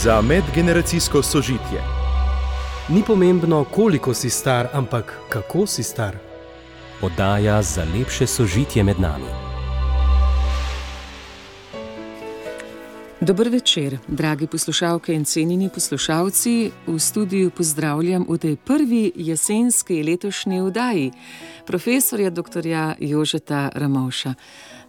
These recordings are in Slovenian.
za medgeneracijsko sožitje. Ni pomembno, koliko si star, ampak kako si star. Oddaja za lepše sožitje med nami. Dober večer, dragi poslušalke in cenjeni poslušalci. V studiu pozdravljam v tej prvi jesenski letošnji oddaji profesorja dr. Jožeta Ramovša.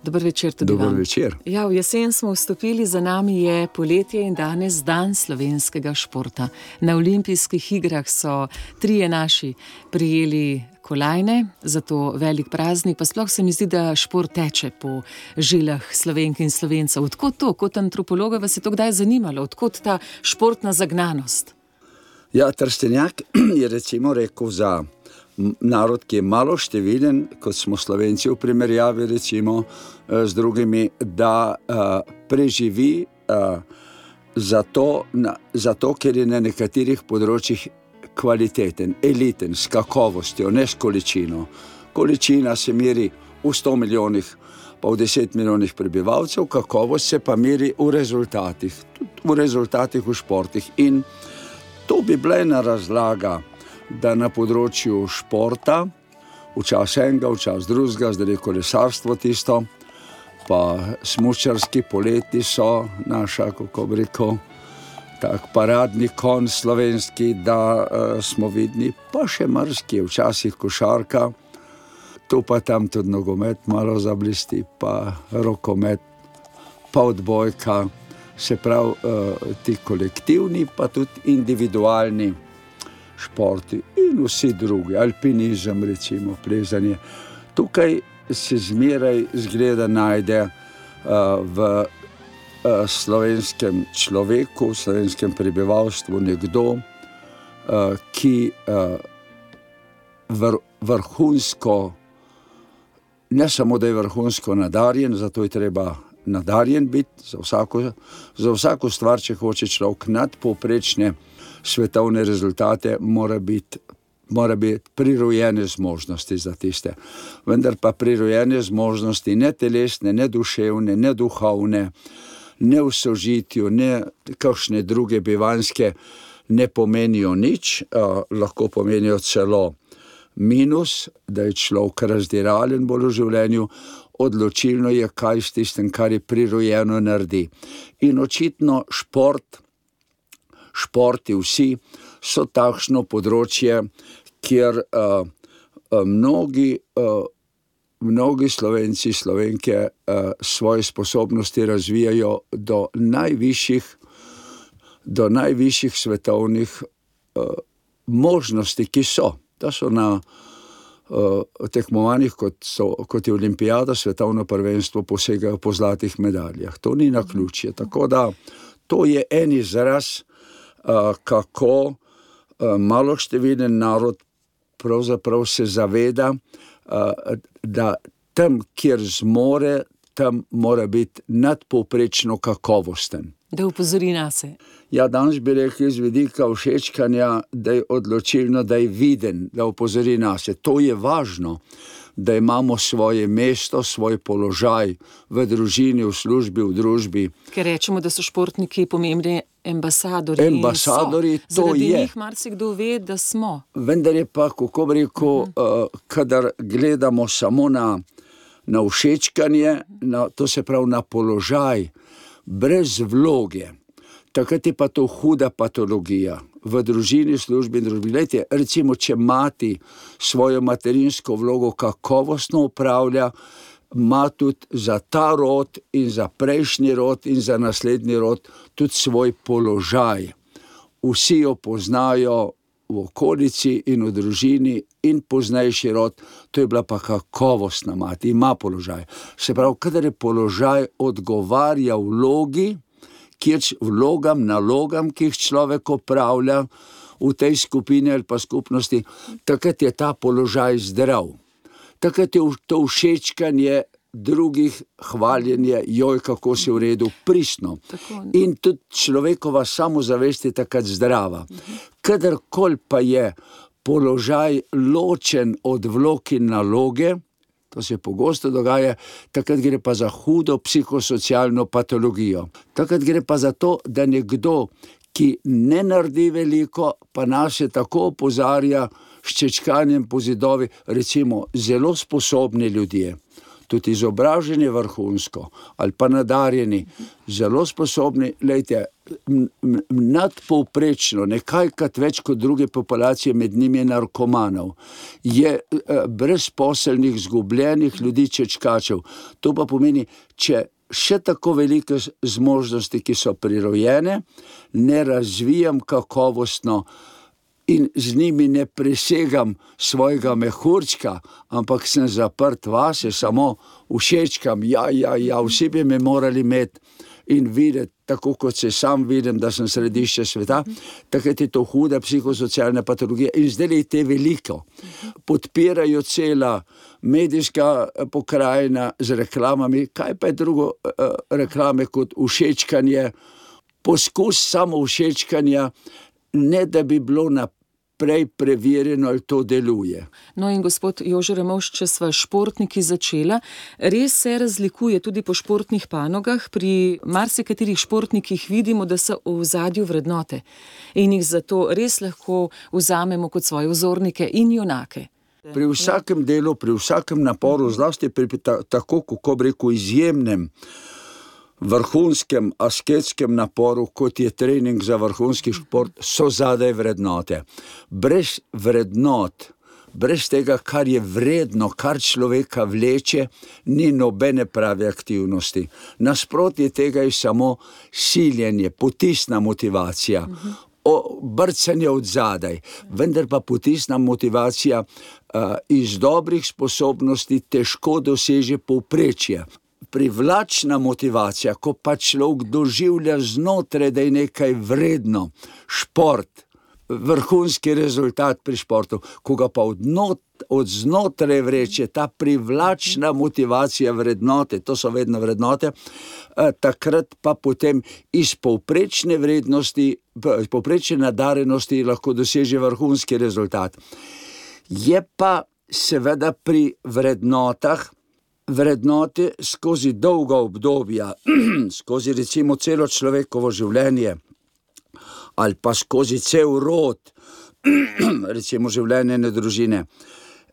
Dober večer tudi vam. Dober večer. Ja, v jesen smo vstopili, za nami je poletje in danes dan slovenskega športa. Na olimpijskih igrah so trije naši prijeli kolajne, zato velik praznik, pa sploh se mi zdi, da šport teče po žilah Slovenk in Slovencev. Odkot to, kot antropologa, vas je to kdaj zanimalo? Odkot ta športna zagnanost? Ja, Trstenjak je recimo rekel za narod, ki je malo števiden, kot smo Slovenci v primerjavi recimo z drugimi, da preživi zato, ker je na nekaterih področjih kvaliteten, eliten, s kakovostjo, ne s količino. Količina se meri v 100 milijonih, pa v 10 milijonih prebivalcev, kakovost se pa meri v rezultatih, tudi v rezultatih v športih. In to bi bila ena razlaga, da na področju športa, včasih enega, včasih drugega, zdaj je kolesarstvo tisto, pa smučarski poleti so naša, kako bi rekel, tak paradni konj slovenski, da smo vidni, pa še marski, včasih košarka, tu pa tam tudi nogomet malo zablisti, pa rokomet, pa odbojka, se pravi ti kolektivni, pa tudi individualni športi in vsi drugi, alpinizem recimo, plezanje. Tukaj se zmeraj zgleda najde v slovenskem človeku, v slovenskem prebivalstvu nekdo, ki vrhunsko, ne samo da je vrhunsko nadarjen, zato je treba nadarjen biti za vsako stvar, če hoče človek nadpovprečne svetovne rezultate, mora biti prirojene zmožnosti za tiste. Vendar pa prirojene zmožnosti ne telesne, ne duševne, ne duhovne, ne v sožitju, ne kakšne druge bivanjske ne pomenijo nič, lahko pomenijo celo minus, da je človek razdiralen bolj v življenju. Odločilno je, kaj s tistim, kar je prirojeno, naredi. In očitno športi vsi so takšno področje, kjer mnogi Slovenci, Slovenke svoje sposobnosti razvijajo do najvišjih svetovnih možnosti, ki so. Da so na tekmovanjih, kot je olimpijada, svetovno prvenstvo, posegajo po zlatih medaljah. To ni naključje. Tako da to je en izraz, kako malošteviden narod pravzaprav se zaveda, da tam, kjer zmore, tam mora biti nadpovprečno kakovosten. Da upozori nase. Ja, danes bi rekel iz vidika všečkanja, da je odločilno, da je viden, da upozori nase. To je važno, da imamo svoje mesto, svoj položaj v družini, v službi, v družbi. Ker rečemo, da so športniki pomembni ambasadori. Ambasadori, to je. Zaradi njih marsikdo ve, da smo. Vendar je pa, kako bi rekel, kadar gledamo samo na všečkanje, to se pravi na položaj, brez vloge, takrat je pa to huda patologija. V družini, službi in družbi. Glejte, recimo, če mati svojo materinsko vlogo kakovostno upravlja, ima tudi za ta rod in za prejšnji rod in za naslednji rod tudi svoj položaj. Vsi jo poznajo v okolici in v družini in poznejši rod, to je bila pa kakovostna mati, ima položaj. Se pravi, kadar je položaj odgovarja vlogi, nalogam, ki jih človek opravlja v tej skupini ali pa skupnosti, takrat je ta položaj zdrav. Takrat je to všečkanje drugih, hvaljenje, joj, kako si v redu, pristno. In tudi človekova samozavest je takrat zdrava. Kadarkoli pa je položaj ločen od vlog in naloge, to se pogosto dogaja, takrat gre pa za hudo psihosocialno patologijo. Takrat gre pa za to, da nekdo, ki ne naredi veliko, pa nas je tako opozarja s čečkanjem po zidovi, recimo zelo sposobni ljudje, tudi izobraženi vrhunsko ali pa nadarjeni, zelo sposobni, glejte, nadpovprečno, nekajkrat več kot druge populacije, med njimi narkomanov, je brezposelnih, zgubljenih ljudi, čečkačev. To pa pomeni, če še tako velike zmožnosti, ki so prirojene, ne razvijam kakovostno in z njimi ne presegam svojega mehurčka, ampak sem zaprt vase, samo všečkam, vsi bi me morali imeti in videti, tako kot se sam vidim, da sem središče sveta, takrat je to huda psihosocialna patologija in zdaj je te veliko. Podpirajo cela medijska pokrajina z reklamami, kaj pa je drugo reklame kot všečkanje, poskus samo všečkanja, ne da bi bilo naprej preverjeno, ali to deluje. No in gospod Jože Ramovš, če sva športniki začela, res se razlikuje tudi po športnih panogah, pri marsikaterih športnikih vidimo, da so v ozadju vrednote in jih zato res lahko vzamemo kot svoje vzornike in junake. Pri vsakem delu, pri vsakem naporu, zlasti pri tako, kako bi rekel, izjemnem vrhunskem asketskem naporu, kot je trening za vrhunski šport, so zadaj vrednote. Brez vrednot, brez tega, kar je vredno, kar človeka vleče, ni nobene prave aktivnosti. Nasprotje tega je samo siljenje, potisna motivacija, brcanje od zadaj, vendar pa potisna motivacija iz dobrih sposobnosti težko doseže povprečje. Privlačna motivacija, ko pa človek doživlja znotraj, da je nekaj vredno, šport, vrhunski rezultat pri športu, ko ga pa od znotraj vreče ta privlačna motivacija, vrednote, to so vedno vrednote, takrat pa potem iz povprečne vrednosti, povprečne nadarenosti lahko doseže vrhunski rezultat. Je pa seveda pri vrednote skozi dolga obdobja, skozi recimo celo človekovo življenje, ali pa skozi cel rod, recimo življenjene družine,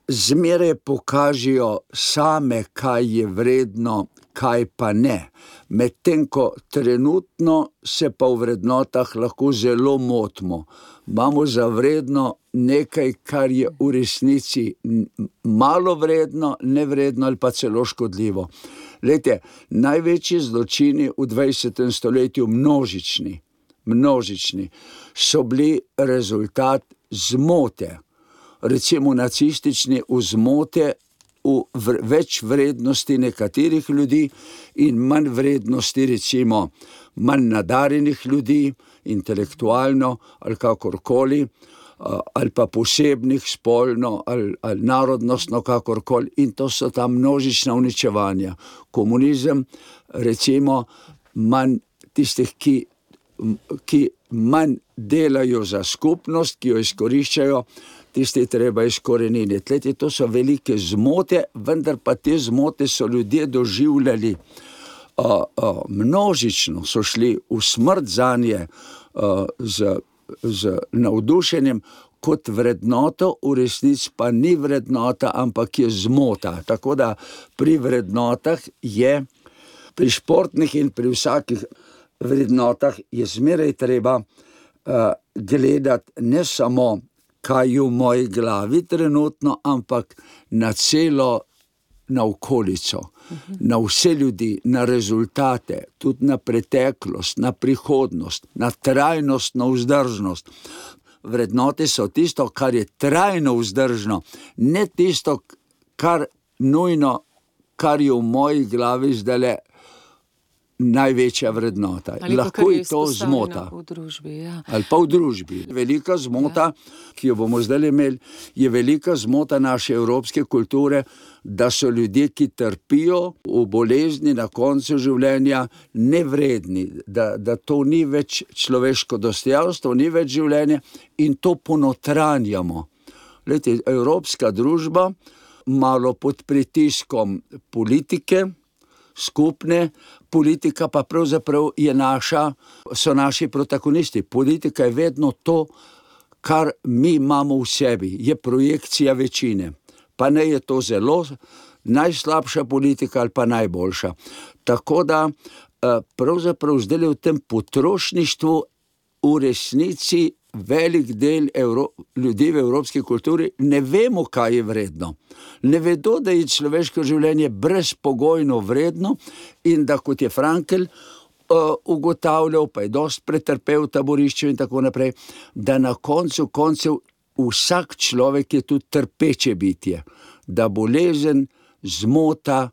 zmeraj pokažejo same, kaj je vredno, kaj pa ne. Medtem ko trenutno se pa v vrednotah lahko zelo motimo. Imamo za vredno nekaj, kar je v resnici malo vredno, nevredno ali pa celo škodljivo. Glejte, največji zločini v 20. stoletju, množični, so bili rezultat zmote. Recimo nacistični vzmote v več vrednosti nekaterih ljudi in manj vrednosti, recimo manj nadarjenih ljudi, intelektualno ali kakorkoli, ali pa posebnih spolno ali narodnostno kakorkoli, in to so ta množična uničevanja. Komunizem, recimo, manj tistih, ki manj delajo za skupnost, ki jo izkoriščajo, tiste treba izkoreniniti. Glejte, to so velike zmote, vendar pa te zmote so ljudje doživljali množično, so šli v smrt zanje z navdušenjem kot vrednoto, v resnici pa ni vrednota, ampak je zmota. Tako da pri vrednotah je, pri športnih in pri vsakih vrednotah je zmeraj treba gledati ne samo, kaj je v moji glavi trenutno, ampak na celo, na okolico, na vse ljudi, na rezultate, tudi na preteklost, na prihodnost, na trajnostno vzdržnost. Vrednote so tisto, kar je trajno vzdržno, ne tisto, kar nujno, kar je v moji glavi zdajle največja vrednota. Lahko je to zmota. V družbi, ja. Ali pa v družbi. Velika zmota, ki jo bomo zdaj imeli, je velika zmota naše evropske kulture, da so ljudje, ki trpijo v bolezni na koncu življenja, nevredni, da to ni več človeško dostojanstvo, ni več življenje in to ponotranjamo. Glejte, evropska družba, malo pod pritiskom politike, skupne, politika pa pravzaprav so naši protagonisti. Politika je vedno to, kar mi imamo v sebi, je projekcija večine. Pa ne je to zelo najslabša politika ali pa najboljša. Tako da pravzaprav zdaj v tem potrošništvu v resnici velik del ljudi v evropski kulturi ne vemo, kaj je vredno. Ne vedo, da je človeško življenje brezpogojno vredno in da, kot je Frankl ugotavljal, pa je dosti pretrpel v taborišču in tako naprej, da na koncu koncev vsak človek je tudi trpeče bitje. Da bolezen, zmota,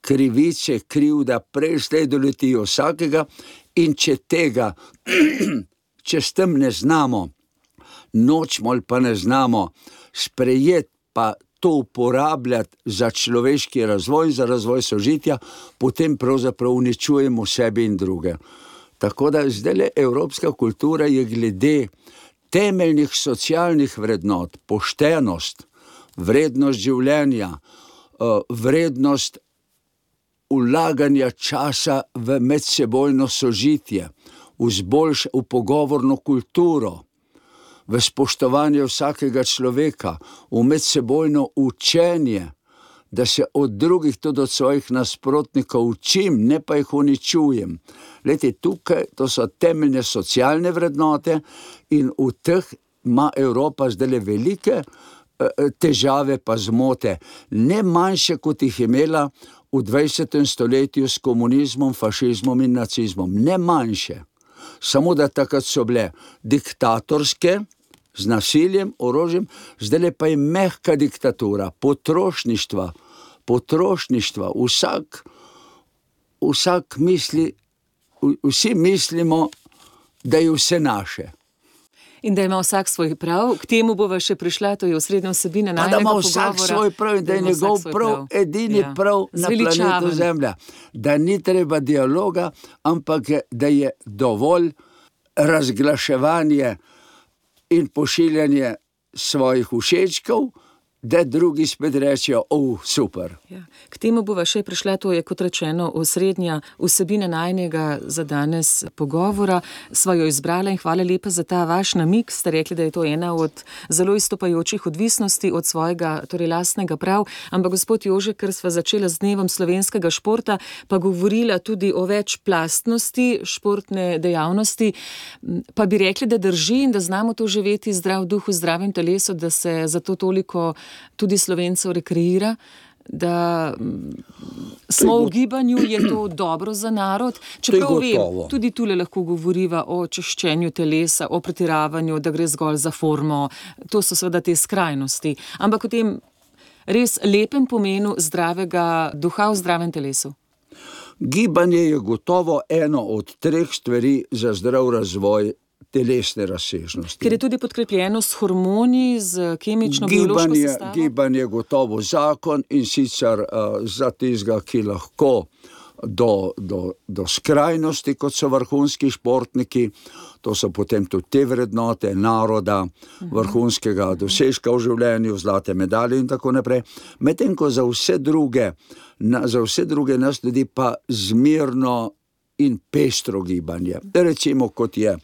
krivice, krivda prej slej doletijo vsakega in če tega če s tem ne znamo, nočemo ali pa ne znamo sprejeti, pa to uporabljati za človeški razvoj, za razvoj sožitja, potem pravzaprav uničujemo sebi in druge. Tako da zdaj evropska kultura je glede temeljnih socialnih vrednot, poštenost, vrednost življenja, vrednost vlaganja časa v medsebojno sožitje, v pogovorno kulturo, v spoštovanje vsakega človeka, v medsebojno učenje, da se od drugih, tudi od svojih nasprotnikov učim, ne pa jih uničujem. Glejte, tukaj, to so temeljne socialne vrednote in v teh ima Evropa zdaj velike težave pa zmote, ne manjše, kot jih imela v 20. stoletju s komunizmom, fašizmom in nacizmom. Ne manjše. Samo da takrat so bile diktatorske, z nasiljem, orožjem, zdaj pa je mehka diktatura, potrošništva. Vsak misli, vsi mislimo, da je vse naše. In da ima vsak svoj prav, k temu bova še prišla, to je osrednja vsebina najnega pogovora. Pa da ima vsak svoj prav in da je njegov prav edini prav na planetu Zemlja. Da ni treba dialoga, ampak da je dovolj razglaševanje in pošiljanje svojih všečkov, da drugi spet rečejo, super. Ja. K temu bova še prišla, to je, kot rečeno, osrednja vsebina najnega za danes pogovora. Sva jo izbrala in hvala lepa za ta vaš namig. Ste rekli, da je to ena od zelo izstopajočih odvisnosti od svojega, torej lastnega prav. Ampak gospod Jože, ker sva začela z dnevom slovenskega športa, pa govorila tudi o večplastnosti športne dejavnosti, pa bi rekli, da drži in da znamo to živeti zdrav duh v zdravem telesu, da se zato toliko tudi Slovencev rekreira, da smo v gibanju, je to dobro za narod. Čeprav vem, tudi tule lahko govoriva o češčenju telesa, o pretiravanju, da gre zgolj za formo. To so seveda te skrajnosti. Ampak o tem res lepem pomenu zdravega duha v zdravem telesu. Gibanje je gotovo eno od 3 stvari za zdrav razvoj telesne razsežnosti. Ker je tudi podkrepljeno s hormoni, z kemično, biološko sestavo? Gibanje je gotovo zakon in sicer za tistega, ki lahko do skrajnosti, kot so vrhunski športniki, to so potem tudi te vrednote naroda, vrhunskega dosežka v življenju, zlate medalje in tako naprej. Medtem ko za vse druge nas ljudi pa zmirno in pestro gibanje. Recimo, kot je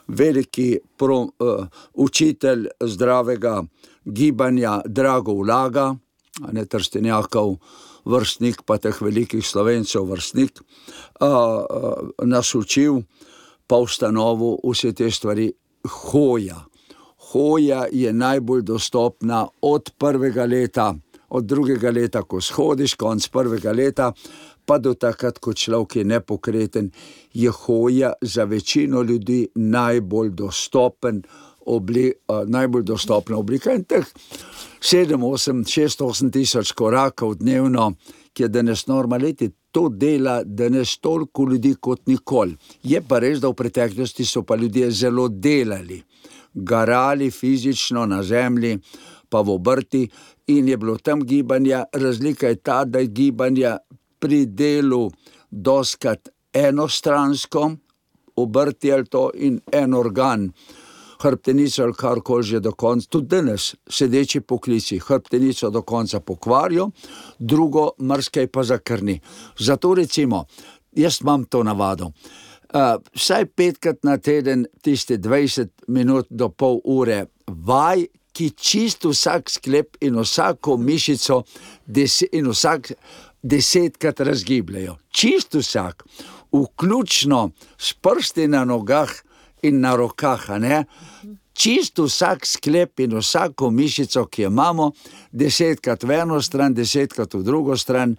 veliki učitelj zdravega gibanja Drago Ulaga, Trstenjakov vrstnik, pa teh velikih Slovencev vrstnik, nas učil, pa ustanovil vse te stvari. Hoja je najbolj dostopna od 1. leta, od 2. leta, ko shodiš, konc 1. leta, pa do takrat, ko človek je nepokreten, je hoja za večino ljudi najbolj dostopna oblika. In teh 6-8 tisoč korakov dnevno, ki je danes normaliti, to dela danes toliko ljudi kot nikoli. Je pa res, da v preteklosti so pa ljudje zelo delali, garali fizično na zemlji, pa v obrti, in je bilo tam gibanja. Razlika je ta, da je gibanja pri delu doskrat enostransko, obrti ali to, in en organ hrbtenico ali karkoli že do konca, tudi danes sedeči poklici hrbtenico do konca pokvarijo, drugo marsikaj pa zakrni. Zato recimo, jaz imam to navado, vsaj 5krat na teden tiste 20 minut do pol ure vaj, ki čisto vsak sklep in vsako mišico in vsak 10krat razgibljajo. Čisto vsak, vključno s prsti na nogah in na rokah, a ne? Čisto vsak sklep in vsako mišico, ki jo imamo, 10krat v eno stran, 10krat v drugo stran,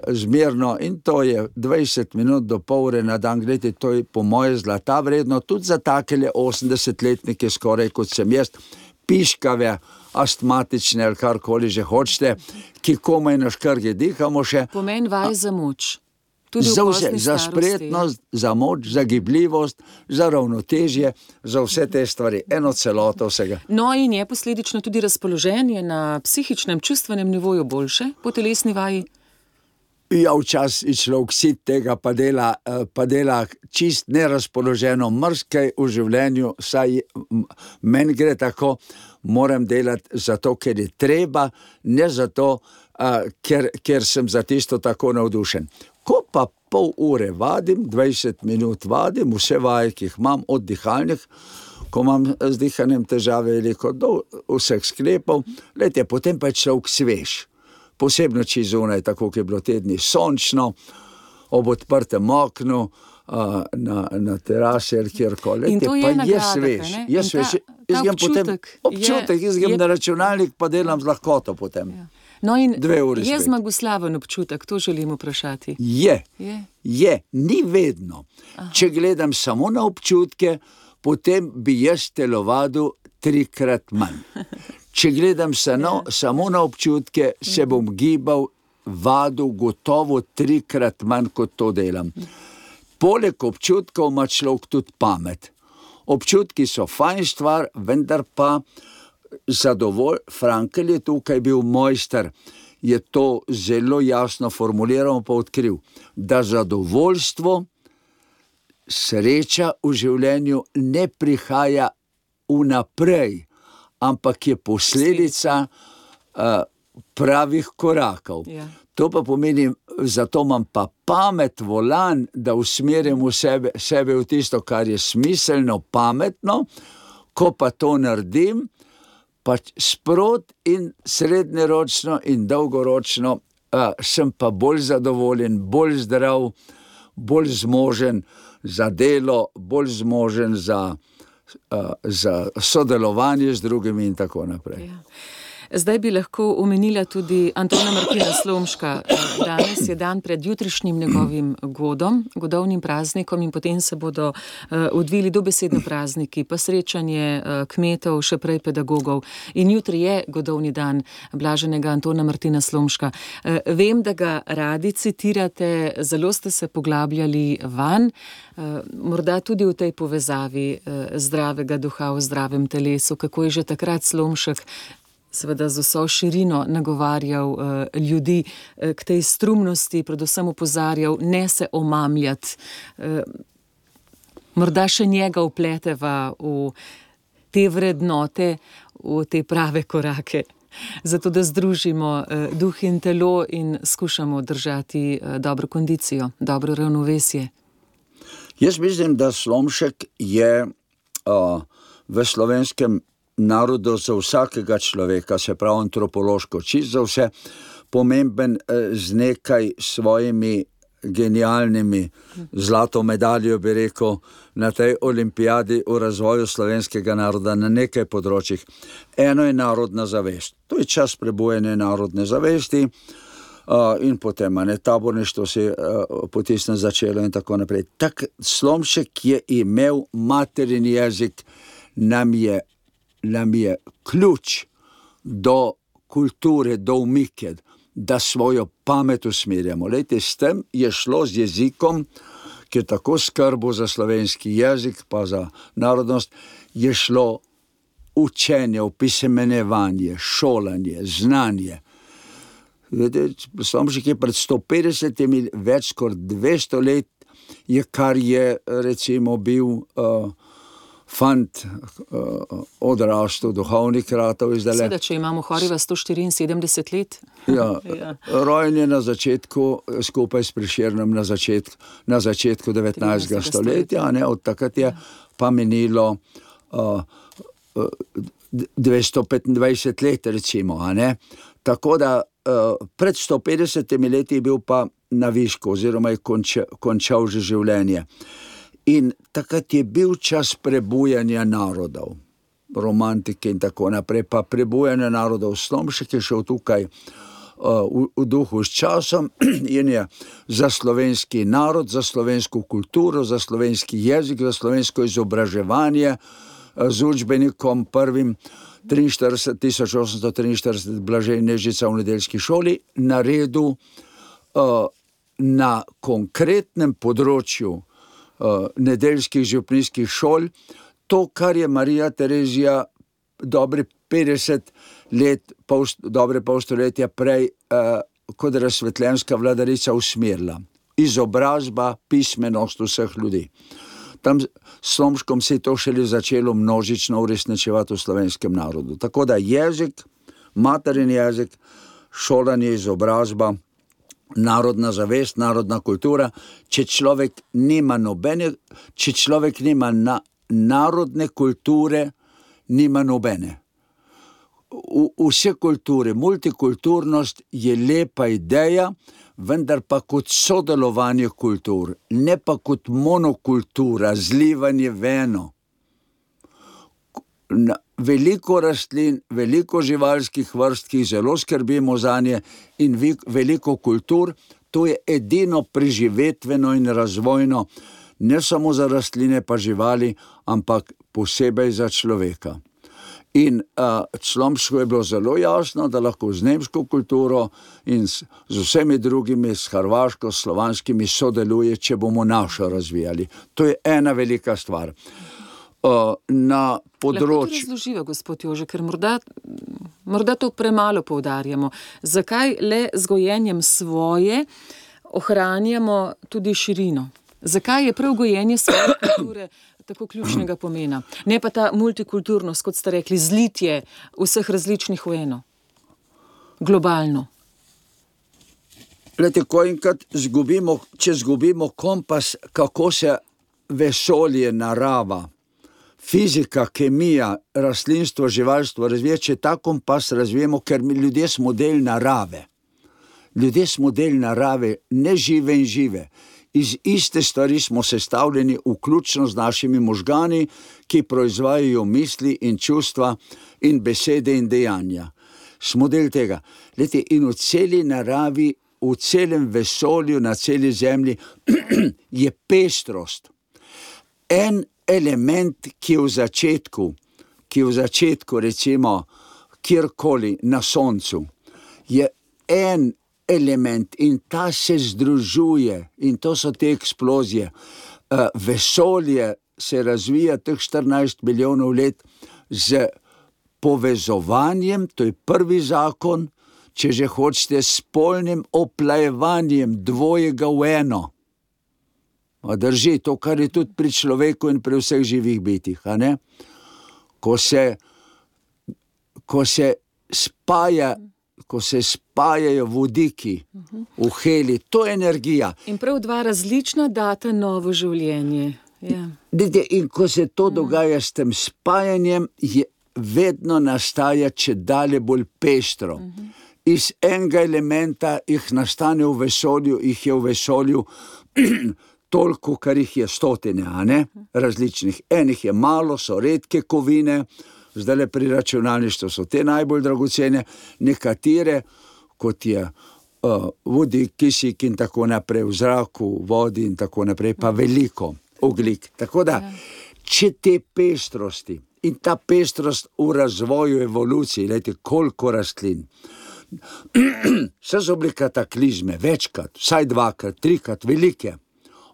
zmerno, in to je 20 minut do pol ure na dan. Gledajte, to je po moje zlata vredno, tudi za takele 80-letnike skoraj kot sem jaz, piškave, astmatične ali karkoli že hočete, ki komaj na škrge dihamo še. Pomen vaj za moč. Za vse, za spretnost, za moč, za gibljivost, za ravnotežje, za vse te stvari, eno celoto vsega. No in je posledično tudi razpoloženje na psihičnem, čustvenem nivoju boljše po telesni vaji? Ja, včasih človek sit tega pa dela čist nerazpoloženo, marsikaj v življenju, saj meni gre tako, moram delati zato, ker je treba, ne zato, ker sem za tisto tako navdušen. Ko pa pol ure vadim, 20 minut vadim, vse vaje, ki jih imam, od dihalnih, ko imam z dihanjem težave veliko do vseh sklepov, lejte, potem pa je človek svež. Posebno če zunaj, tako ki je bilo tedni sončno, ob odprtem oknu, na terasi ali kjerkoli. In to je nagrada, ne? Občutek, jaz grem na računalnik, pa delam z lahkoto potem. Ja. No in 2 ure je zmagoslaven občutek, to želim vprašati. Je, ni vedno. Aha. Če gledam samo na občutke, potem bi jaz telovadil 3krat manj. Če gledam samo na občutke, se bom gibal, vadil gotovo 3krat manj, kot to delam. Poleg občutkov ima človek tudi pamet. Občutki so fajn stvar, vendar pa Frankl je tukaj bil mojster, je to zelo jasno formuliral, pa odkril, da zadovoljstvo, sreča v življenju ne prihaja vnaprej, ampak je posledica pravih korakov. Ja. To pa pomeni, zato imam pa pamet volan, da usmerim sebe v tisto, kar je smiselno, pametno, ko pa to naredim, pa sprot in srednjeročno in dolgoročno sem pa bolj zadovoljen, bolj zdrav, bolj zmožen za delo, bolj zmožen za sodelovanje z drugimi in tako naprej. Ja. Zdaj bi lahko omenila tudi Antona Martina Slomška. Danes je dan pred jutrišnjim njegovim godovnim praznikom in potem se bodo odvili dobesedno prazniki, pa srečanje kmetov, še prej pedagogov. In jutri je godovni dan blaženega Antona Martina Slomška. Vem, da ga radi citirate, zelo ste se poglabljali vanj, morda tudi v tej povezavi zdravega duha v zdravem telesu, kako je že takrat Slomšek seveda z vso širino nagovarjal ljudi k tej strumnosti, predvsem opozarjal, ne se omamljati. Morda še njega vpleteva v te vrednote, v te prave korake, zato da združimo duh in telo in skušamo držati dobro kondicijo, dobro ravnovesje. Jaz mislim, da Slomšek je v slovenskem narodu za vsakega človeka, se pravi antropološko, čisto za vse, pomemben z nekaj svojimi genialnimi zlato medaljo, bi rekel, na tej olimpijadi o razvoju slovenskega naroda na nekaj področjih. Eno je narodna zavest. To je čas prebujanja narodne zavesti in potem taborništvo se potisne začelo in tako naprej. Tak Slomšek je imel materin jezik, nam je ključ do kulture, do umike, da svojo pamet usmerjamo. Lejte, s tem je šlo z jezikom, ki je tako skrbo za slovenski jezik, pa za narodnost, je šlo učenje, opisemenevanje, šolanje, znanje. Slomšek je pred 150, več kot 200 let, kar je recimo bil fant odrastel, duhovnik ratov izdale. Seveda, če imamo Horiva 174 let. Ja, rojen je na začetku, skupaj s Prešernom na začetku 19. stoletja, ne, od takrat je pa minilo 225 let, recimo, a ne. Tako da pred 150 leti je bil pa na višku, oziroma je končal že življenje. In takrat je bil čas prebujanja narodov, romantike in tako naprej, pa prebujanja narodov. Slomšek je šel tukaj v duhu s časom in je za slovenski narod, za slovensko kulturo, za slovenski jezik, za slovensko izobraževanje z učbenikom prvim 1843 Blažej Nežica v nedeljski šoli naredil na konkretnem področju nedeljskih župnijskih šol to, kar je Marija Terezija dobre 50 let, dobre pol stoletja prej kot razsvetljenska vladarica usmerila. Izobrazba, pismenost vseh ljudi. Tam s Slomškom se je to šele začelo množično uresničevati v slovenskem narodu. Tako da jezik, materin jezik, šolanje, izobrazba, narodna zavest, narodna kultura, če človek nima narodne kulture, nima nobene. Vse kulture, multikulturnost je lepa ideja, vendar pa kot sodelovanje kultur, ne pa kot monokultura, zlivanje v eno. Veliko rastlin, veliko živalskih vrst, ki zelo skrbimo zanje, in veliko kultur, to je edino preživetveno in razvojno, ne samo za rastline pa živali, ampak posebej za človeka. In Slomšku je bilo zelo jasno, da lahko z nemško kulturo in z vsemi drugimi, s hrvaško, slovanskimi sodeluje, če bomo našo razvijali. To je ena velika stvar. Na področju... Lahko to razloživa, gospod Jože, ker morda to premalo poudarjamo. Zakaj le z gojenjem svoje ohranjamo tudi širino? Zakaj je prav gojenje svoje kulture tako ključnega pomena? Ne pa ta multikulturnost, kot ste rekli, zlitje vseh različnih v eno. Globalno. Glejte, ko enkrat če zgubimo kompas, kako se vesolje, narava, fizika, kemija, rastlinstvo, živalstvo razvija, če ta kompas razvijemo, ker mi ljudje smo del narave. Ljudje smo del narave, ne žive in žive. Iz iste stvari smo sestavljeni, vključno z našimi možgani, ki proizvajajo misli in čustva in besede in dejanja. Smo del tega. Glejte, in v celi naravi, v celem vesolju, na celi zemlji je pestrost. En element, ki je v začetku, recimo, kjerkoli na soncu, je en element in ta se združuje in to so te eksplozije. Vesolje se razvija teh 14 milijonov let z povezovanjem, to je prvi zakon, če že hočete, s spolnim oplajevanjem dvojega v eno. Drži, to, kar je tudi pri človeku in pri vseh živih bitih, a ne? Ko se spajajo vodiki v heli, to je energija. In prav dva različna data novo življenje. Ja. In ko se to dogaja s tem spajanjem, vedno nastaja čedalje bolj pestro. Iz enega elementa jih nastane v vesolju, jih je v vesolju toliko, kar jih je stotine, a ne? Različnih. Enih je malo, so redke kovine, zdajle pri računalništvu so te najbolj dragocene, nekatere, kot je vodik, kisik in tako naprej, v zraku, vodi in tako naprej, pa veliko ogljik. Tako da, če te pestrosti in ta pestrost v razvoju evoluciji, gledajte, koliko rastlin, vse so bile kataklizme, večkrat, vsaj dvakrat, trikrat, velike.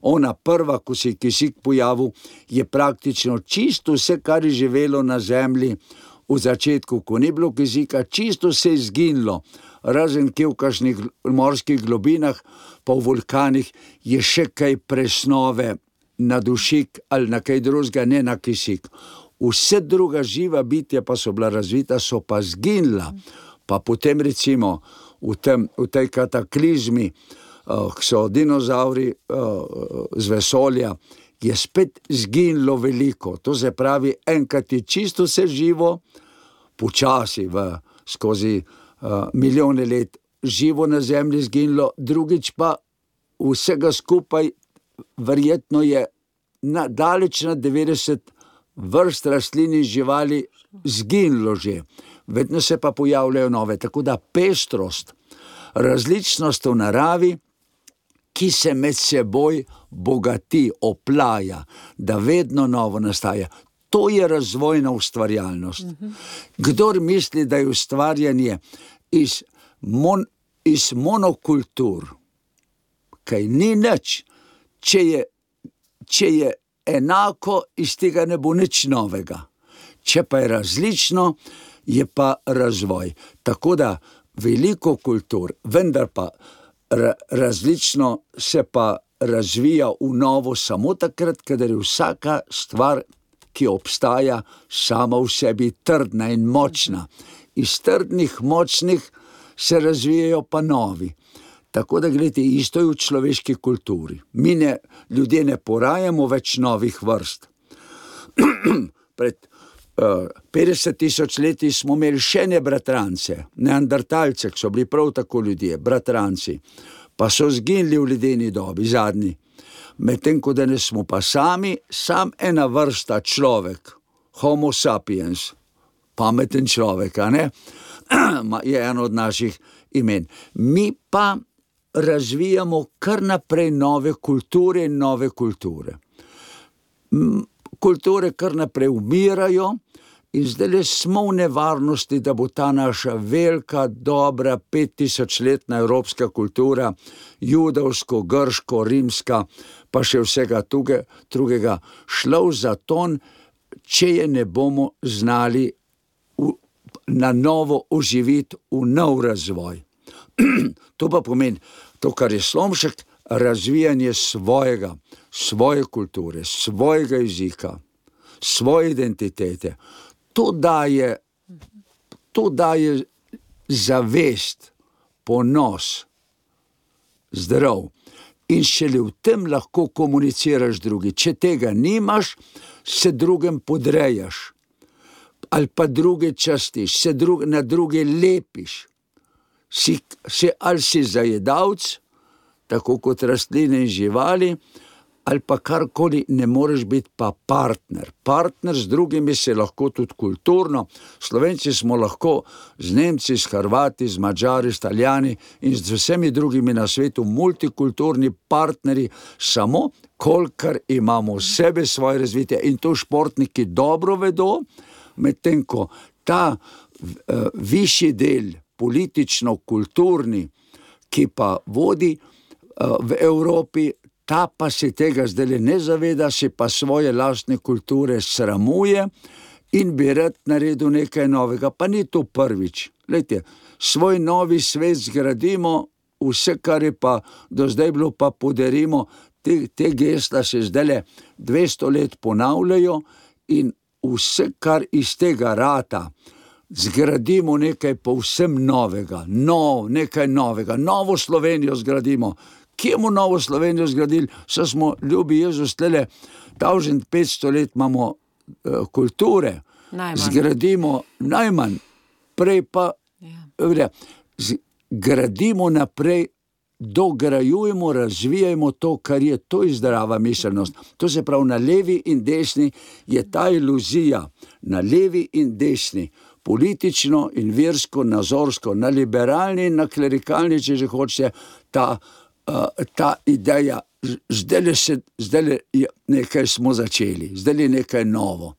Ona prva, ko se je kisik pojavil, je praktično čisto vse, kar je živelo na zemlji v začetku, ko ni bilo kisika, čisto se je izginilo. Razen kje v kakšnih morskih globinah, pa v vulkanih je še kaj presnove na dušik ali na kaj drugega, ne na kisik. Vse druga živa bitja pa so bila razvita, so pa zginila. Pa potem recimo v tej kataklizmi, ko so dinozauri z vesolja, je spet zginilo veliko. To se pravi, enkrat je čisto vse živo, počasi skozi milijone let živo na zemlji zginilo, drugič pa vsega skupaj verjetno je daleč na 90 vrst rastlin in živali zginilo že. Vedno se pa pojavljajo nove, tako da pestrost, različnost v naravi, ki se med seboj bogati, oplaja, da vedno novo nastaja. To je razvojna ustvarjalnost. Kdor misli, da je ustvarjanje iz monokultur, kaj ni nič, če je enako, iz tega ne bo nič novega. Če pa je različno, je pa razvoj. Tako da veliko kultur, vendar pa različno se pa razvija v novo samo takrat, kadar je vsaka stvar, ki obstaja, sama v sebi trdna in močna. Iz trdnih, močnih se razvijajo pa novi. Tako da, gledajte, isto je v človeški kulturi. Mi ljudje ne porajamo več novih vrst. Pred 50.000 leti smo imeli še ne bratrance, neandertalce, ki so bili prav tako ljudje, bratranci, pa so zginili v ledeni dobi, zadnji. Medtem ko danes smo pa sam ena vrsta človek, homo sapiens, pameten človek, a ne? Je eno od naših imen. Mi pa razvijamo kar naprej nove kulture in nove kulture. Kulture kar naprej umirajo in zdaj smo v nevarnosti, da bo ta naša velika, dobra 5000-letna evropska kultura, judovsko, grško, rimska, pa še vsega drugega, šla v zaton, če je ne bomo znali na novo oživiti v nov razvoj. To pa pomeni, to, kar je Slomšek, razvijanje svoje kulture, svojega jezika, svoje identitete. To daje zavest, ponos, zdrav. In šele v tem lahko komuniciraš drugi. Če tega nimaš, se drugem podrejaš. Ali pa druge častiš, na druge lepiš. Ali si zajedavc, tako kot rastline in živali, ali pa karkoli, ne moreš biti pa partner. Partner z drugimi se lahko tudi kulturno. Slovenci smo lahko z Nemci, s Hrvati, z Madžari, s Italijani in z vsemi drugimi na svetu multikulturni partneri, samo kolikor imamo v sebe svoje razvite. In to športniki dobro vedo, medtem ko ta višji del, politično-kulturni, ki pa vodi v Evropi, ta pa se tega zdaj ne zaveda, se pa svoje lastne kulture sramuje in bi rad naredil nekaj novega. Pa ni to prvič. Glejte, svoj novi svet zgradimo, vse, kar je pa do zdaj bilo, pa podarimo. Te gesla se zdaj 200 let ponavljajo in vse, kar iz tega rata, zgradimo nekaj povsem novega, nekaj novega, novo Slovenijo zgradimo. Kje bomo novo Slovenijo zgradili? Saj smo, ljubi Jezus, 1500 let imamo kulture. Zgradimo najmanj, prej pa gradimo naprej, dograjujemo, razvijajmo to, kar je, to je zdrava miselnost. To se pravi, na levi in desni je ta iluzija, na levi in desni, politično in versko, nazorsko, na liberalni in na klerikalni, če že hočete, ta ideja, zdaj nekaj smo začeli, zdaj je nekaj novo.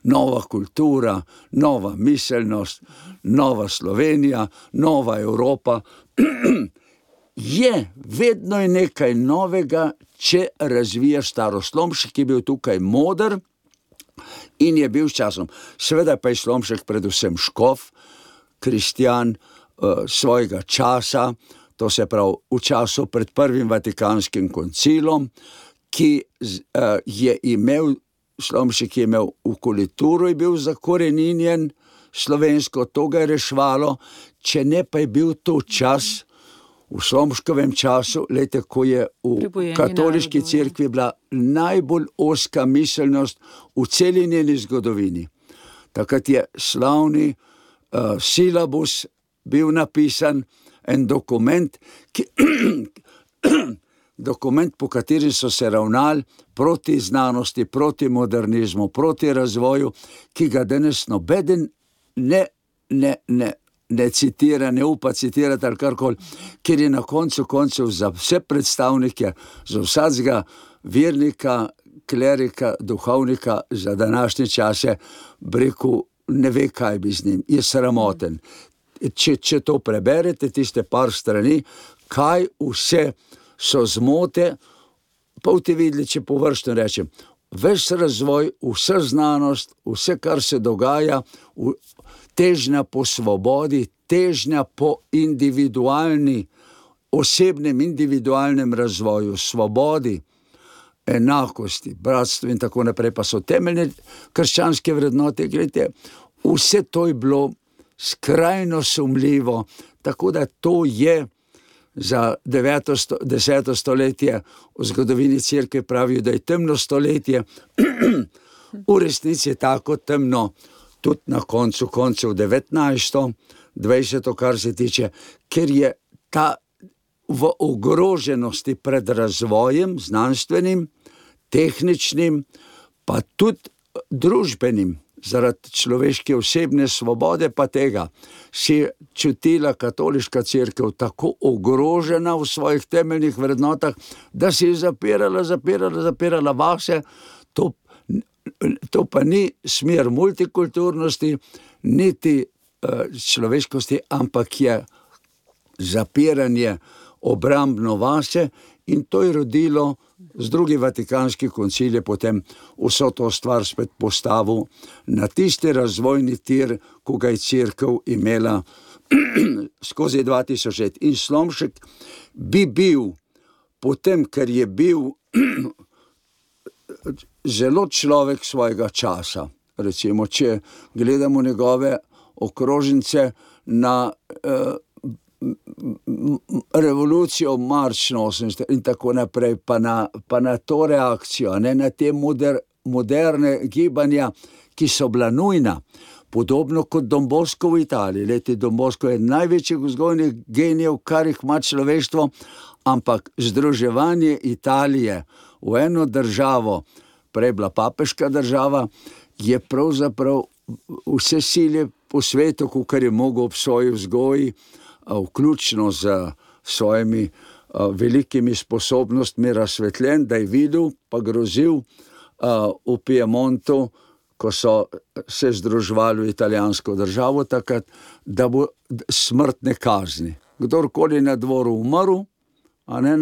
Nova kultura, nova miselnost, nova Slovenija, nova Evropa. Vedno je nekaj novega, če razvijaš staro. Slomšek je bil tukaj moder in je bil s časom. Seveda pa je Slomšek predvsem škof, kristjan svojega časa, to se pravi v času pred prvim Vatikanskim koncilom, ki je imel, Slomšek je imel v kulturo, je bil zakoreninjen slovensko, to ga je rešvalo, če ne pa je bil to čas, v Slomškovem času, lejte, ko je v katoliški cerkvi bila najbolj ozka miselnost v celi njeni zgodovini. Takrat je slavni silabus bil napisan, en dokument, dokument, po katerem so se ravnali proti znanosti, proti modernizmu, proti razvoju, ki ga danes nobeden ne citira, ne upa citirati ali karkoli, ker je na koncu koncev za vse predstavnike, za vsakega vernika, klerika, duhovnika za današnje čase, rekel, ne ve, kaj bi z njim, je sramoten. Če to preberete, tiste par strani, kaj vse so zmote, pa boste videli, če površno rečem, ves razvoj, vsa znanost, vse, kar se dogaja, težnja po svobodi, težnja po osebnem individualnem razvoju, svobodi, enakosti, bratstvu in tako naprej, pa so temeljne krščanske vrednote. Gledajte, vse to je bilo skrajno sumljivo, tako da to je za 10. stoletje v zgodovini cerkve pravijo, da je temno stoletje, v resnici je tako temno, tudi na koncu koncev 19., 20., kar se tiče, ker je ta v ogroženosti pred razvojem, znanstvenim, tehničnim, pa tudi družbenim, zaradi človeške osebne svobode pa tega, si čutila katoliška cerkev tako ogrožena v svojih temeljnih vrednotah, da si je zapirala vase. To pa ni smer multikulturnosti, niti človeškosti, ampak je zapiranje obrambno vase, in to je rodilo z drugi vatikanski koncil je potem vso to stvar spet postavil na tisti razvojni tir, ko ga je cerkev imela skozi 2000 let. In Slomšek bi bil, potem, ker je bil zelo človek svojega časa, recimo, če gledamo njegove okrožnice na revolucijo marč 80 in tako naprej, pa na to reakcijo, na te moderne gibanja, ki so bila nujna, podobno kot Don Bosco v Italiji. Leti, Don Bosco je največjih vzgojnih genijev, kar jih ima človeštvo, ampak združevanje Italije v eno državo, prej bila papeška država, je pravzaprav vse sile po svetu, kar je mogel ob svoji vzgoji, vključno z svojimi velikimi sposobnostmi razsvetljen, da je videl, pa grozil v Piemontu, ko so se združevali v italijansko državo takrat, da bo smrtne kazni. Kdorkoli na dvoru umrl, a ne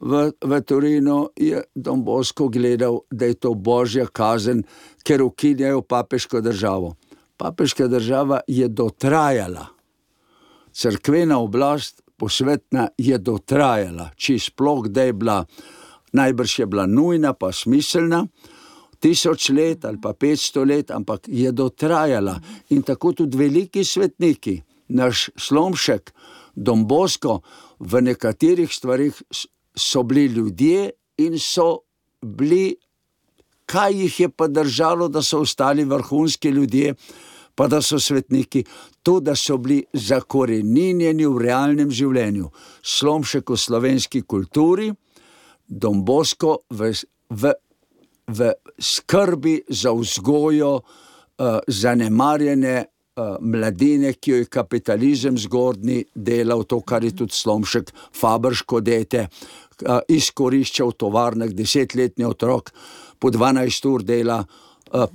v Torinu, je Don Bosco gledal, da je to božja kazen, ker ukinjajo papeško državo. Papeška država je dotrajala. Cerkvena oblast posvetna je dotrajala, če sploh da je bila, najbrž je bila nujna pa smiselna, 1000 let ali pa 500 let, ampak je dotrajala. In tako tudi veliki svetniki, naš Slomšek, Don Bosco, v nekaterih stvarih so bili ljudje in so bili, kaj jih je pa držalo, da so ostali vrhunski ljudje, pa da so svetniki, to, da so bili zakoreninjeni v realnem življenju. Slomšek v slovenski kulturi, Don Bosco v skrbi za vzgojo zanemarjene mladine, ki jo je kapitalizem zgodnji delal, to, kar je tudi Slomšek Fabrško dete, izkoriščal v tovarnah 10-letni otrok, po 12 ur dela,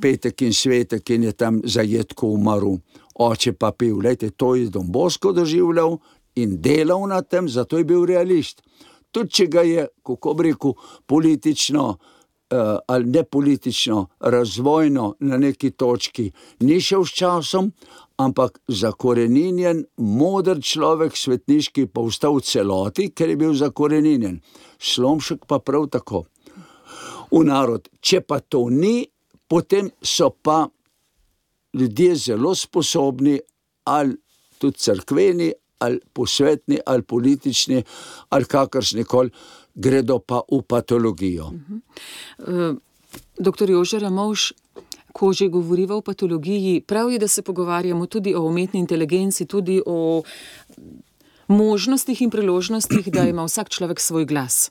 petek in svetek in je tam zajetko umrl, oče pa pil. Lejte, to je Don Bosco doživljal in delal na tem, zato je bil realist. Tudi če ga je, kako bi rekel, politično ali ne politično, razvojno na neki točki ni šel s časom, ampak zakoreninjen, moder človek, svetniški, pa ostal v celoti, ker je bil zakoreninjen. Slomšek pa prav tako. v narod. Če pa to ni, potem so pa ljudje zelo sposobni, ali tudi cerkveni, ali posvetni, ali politični, ali kakršnikoli, gredo pa v patologijo. Doktor Jože Ramovš, ko že govoriva o patologiji, prav je, da se pogovarjamo tudi o umetni inteligenci, tudi o možnostih in priložnostih, da ima vsak človek svoj glas.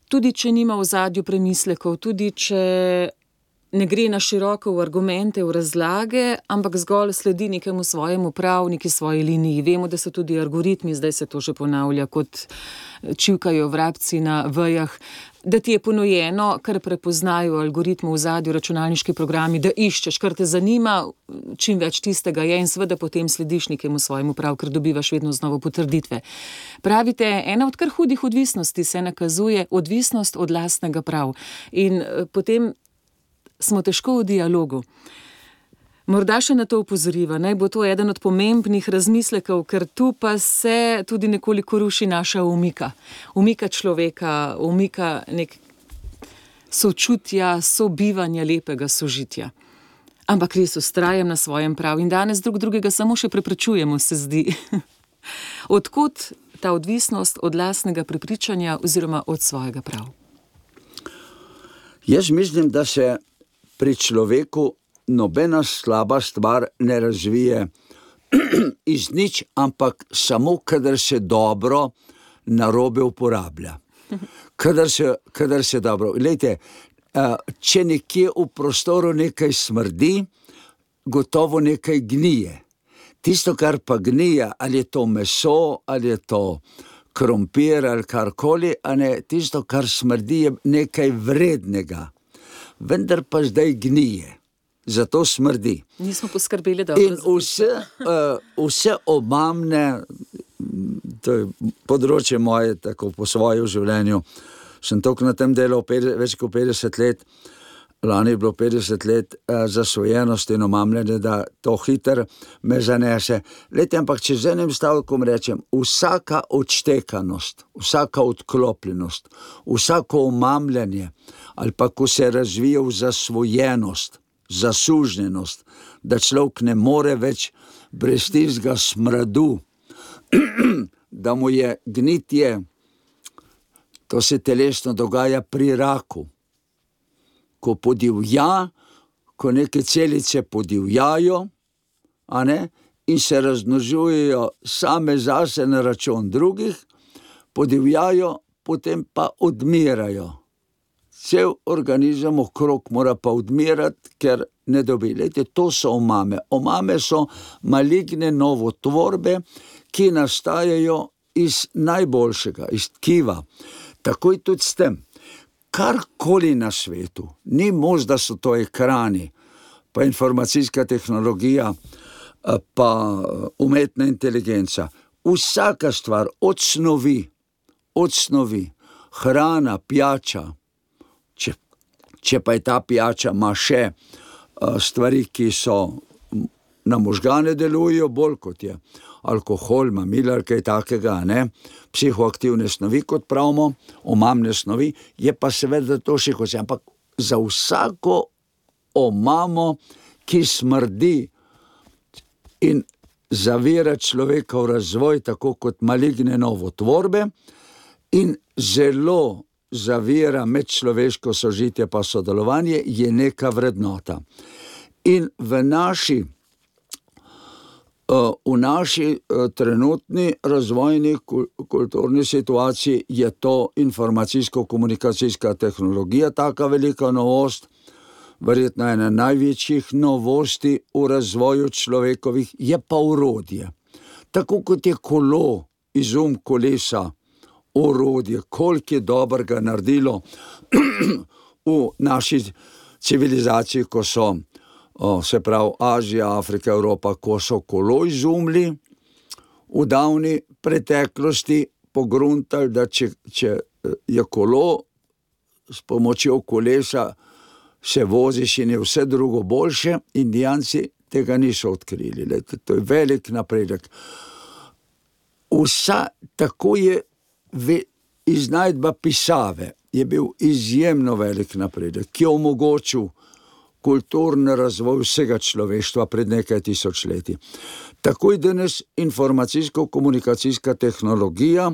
Tudi če nima v ozadju premislekov, tudi če ne gre na široko v argumente, v razlage, ampak zgolj sledi nekemu svojemu prav, neki svoji liniji. Vemo, da so tudi algoritmi, zdaj se to že ponavlja, kot čivkajo vrabci na vejah, da ti je ponujeno, kar prepoznajo algoritmu v ozadju, računalniški programi, da iščeš, kar te zanima, čim več tistega je in seveda potem slediš nekemu svojemu prav, ker dobivaš vedno znova potrditve. Pravite, ena od kar hudih odvisnosti se nakazuje odvisnost od lastnega prav. In potem smo težko v dialogu. Morda še na to upozoriva, naj bo to eden od pomembnih razmislekov, ker tu pa se tudi nekoliko ruši naša umika. Umika človeka, umika nek sočutja, sobivanja, lepega sožitja. Ampak res vztrajam na svojem prav in danes drugega samo še preprečujemo, se zdi. Odkot ta odvisnost od lastnega prepričanja oziroma od svojega prav? Jaz mislim, da se pri človeku nobena slaba stvar ne razvije iz nič, ampak samo, kadar se dobro narobe uporablja. Kadar se dobro. Glejte, če nekje v prostoru nekaj smrdi, gotovo nekaj gnije. Tisto, kar pa gnije, ali je to meso, ali je to krompir, ali karkoli, a ne, tisto, kar smrdi, je nekaj vrednega. Vendar pa zdaj gnije. Zato smrdi. Nismo poskrbeli dobro. In vse omamne, to je področje moje, tako po svojem življenju, sem toliko na tem delal več kot 50 let, lani je bilo 50 let zasvojenosti in omamljanje, da to hiter me zanese. Lejte, ampak če z enim stavkom rečem, vsaka odštekanost, vsaka odklopljenost, vsako omamljanje, ali pa ko se razvije v zasvojenost, zasužnjenost, da človek ne more več brez tistega smradu, da mu je gnitje, to se telesno dogaja pri raku. Ko podivja, ko neke celice podivjajo, a ne, in se razmnožujejo same zase na račun drugih, podivjajo, potem pa odmirajo. Cel organizem okrog mora pa odmirati, ker ne dobi. Lejte, to so omame. Omame so maligne novotvorbe, ki nastajajo iz najboljšega, iz tkiva. Takoj tudi s tem. Karkoli na svetu, ni možno, da so to ekrani, pa informacijska tehnologija, pa umetna inteligenca. Vsaka stvar od snovi, hrana, pijača, če pa je ta pijača, ima še stvari, ki so na možgane delujejo bolj kot je alkohol, mamila ali kaj takega, ne? Psihoaktivne snovi, kot pravimo, omamne snovi, je pa seveda to še kot se, ampak za vsako omamo, ki smrdi in zavira človeka v razvoj, tako kot maligne novotvorbe, in zelo zavira medčloveško sožitje pa sodelovanje, je neka vrednota. In v naši trenutni razvojni kulturni situaciji je to informacijsko-komunikacijska tehnologija taka velika novost, verjetno ena največjih novosti v razvoju človekovih, je pa orodje. Tako kot je kolo, izum kolesa, orodje, koliko je dobrega naredilo v naši civilizaciji, ko so, se pravi Azija, Afrika, Evropa, ko so kolo izumili v davni preteklosti, pogruntali, da če je kolo s pomočjo kolesa se voziš in je vse drugo boljše, Indijanci tega niso odkrili. To je velik napredek. Tako je iznajdba pisave je bil izjemno velik napredek, ki je omogočil kulturni razvoj vsega človeštva pred nekaj tisočletji. Tako je danes informacijsko-komunikacijska tehnologija,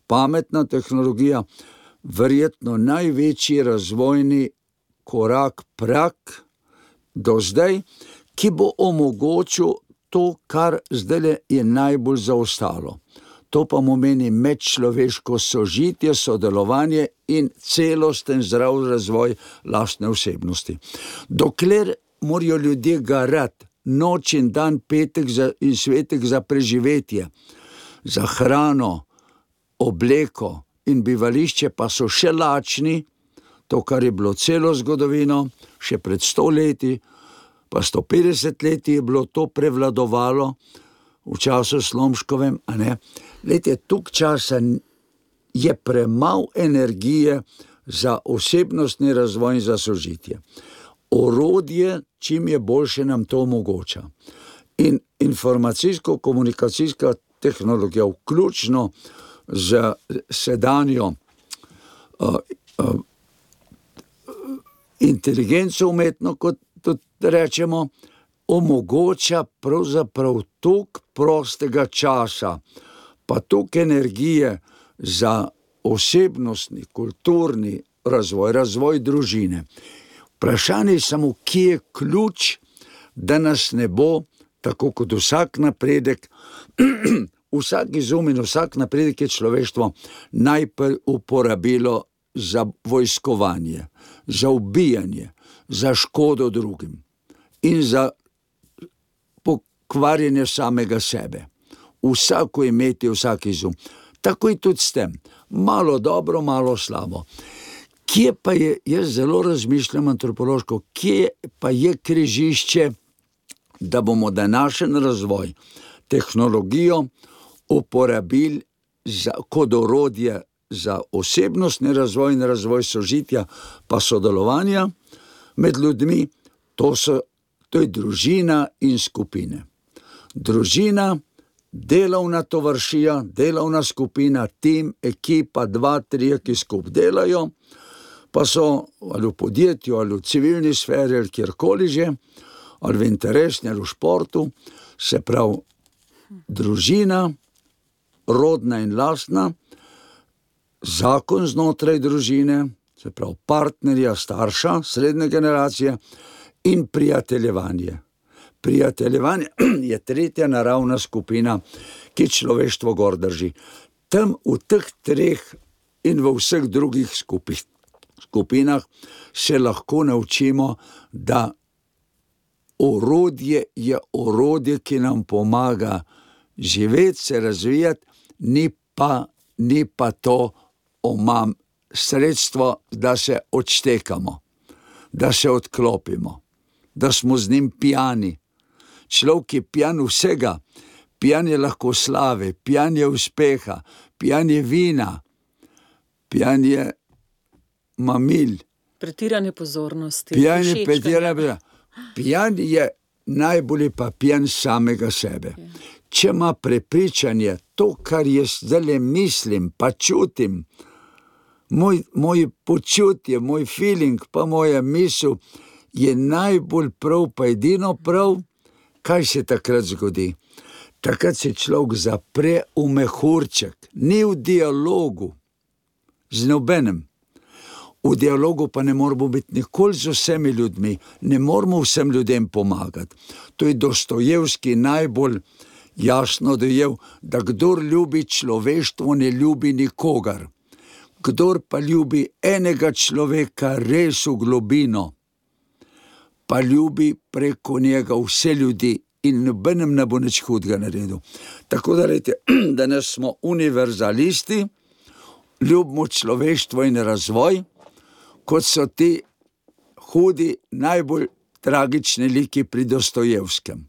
pametna tehnologija, verjetno največji razvojni prak do zdaj, ki bo omogočil to, kar zdaj je najbolj zaostalo. To pa pomeni medčloveško sožitje, sodelovanje in celosten zdrav razvoj lastne osebnosti. Dokler morajo ljudje garati noč in dan, petek in svetek za preživetje, za hrano, obleko in bivališče, pa so še lačni, to, kar je bilo celo zgodovino, še pred 100 leti, pa 150 leti je bilo to prevladovalo, v času Slomškovem, a ne? Lejte, tuk časa je premalo energije za osebnostni razvoj in za sožitje. Orodje, čim je boljše, nam to omogoča. In informacijsko-komunikacijska tehnologija, vključno z sedanjo inteligenco umetno, kot tudi rečemo, omogoča pravzaprav toliko prostega časa, pa toliko energije za osebnostni, kulturni razvoj družine. Vprašanje je samo, kje je ključ, da nas ne bo, tako kot vsak napredek, vsak izum in vsak napredek je človeštvo najprej uporabilo za vojskovanje, za ubijanje, za škodo drugim in za pokvarjenje samega sebe. Vsako imeti, vsak izum. Tako je tudi s tem. Malo dobro, malo slabo. Kje pa je, jaz zelo razmišljam antropološko, kje pa je križišče, da bomo današnji razvoj, tehnologijo uporabili kot orodje za osebnostni razvoj in razvoj sožitja, pa sodelovanja med ljudmi, to je družina in skupine. Družina, delovna tovarišija, delovna skupina, tim, ekipa, 2-3, ki skupaj delajo, pa so ali v podjetju, ali v civilni sferi, ali kjerkoli že, ali v interesni, ali v športu, se pravi družina, rodna in lastna, zakon znotraj družine, se pravi partnerja, starša, srednje generacije in prijateljevanje. Prijateljevanje je tretja naravna skupina, ki človeštvo gor drži. Tam v teh treh in v vseh drugih skupinah se lahko naučimo, da orodje je orodje, ki nam pomaga živeti, se razvijati, ni pa to sredstvo, da se odštekamo, da se odklopimo, da smo z njim pijani. Človek je pijan vsega, pijan je lahko slave, pijan je uspeha, pijan je vina, pijan je mamil. Pretirane pozornosti. Pijan je najbolj pa pijan samega sebe. Če ima prepričanje, to, kar jaz zdaj mislim, pa čutim, moj počutje, moj feeling, pa moja misel, je najbolj prav, pa edino prav, kaj se takrat zgodi? Takrat se človek zapre v mehurček, ni v dialogu z nobenem. V dialogu pa ne moramo biti nikoli z vsemi ljudmi, ne moramo vsem ljudem pomagati. To je Dostojevski najbolj jasno dojel, da kdor ljubi človeštvo, ne ljubi nikogar. Kdor pa ljubi enega človeka res v globino, pa ljubi preko njega vse ljudi in nobenem ne bo nič hudega naredil. Tako da rejte, danes smo univerzalisti, ljubimo človeštvo in razvoj, kot so ti hudi, najbolj tragični liki pri Dostojevskem.